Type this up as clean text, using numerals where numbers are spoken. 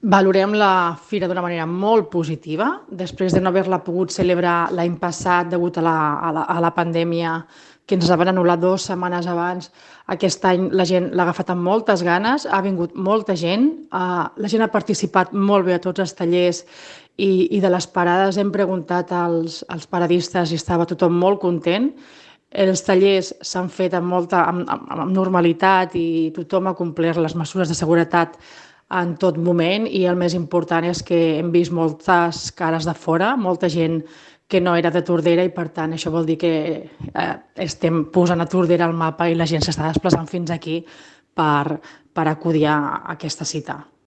Valorem la fira d'una manera molt positiva. Després de no haver-la pogut celebrar l'any passat degut a la pandèmia que ens la van anul·lar 2 setmanes abans, aquest any la gent l'ha agafat amb moltes ganes, ha vingut molta gent, la gent ha participat molt bé a tots els tallers i de les parades hem preguntat als paradistes i estava tothom molt content. Els tallers s'han fet amb normalitat i tothom ha complert les mesures de seguretat en tot moment i el més important és que hem vist moltes cares de fora, molta gent que no era de Tordera i per tant això vol dir que estem posant a Tordera al mapa i la gent s'està desplaçant fins aquí per acudir a aquesta cita.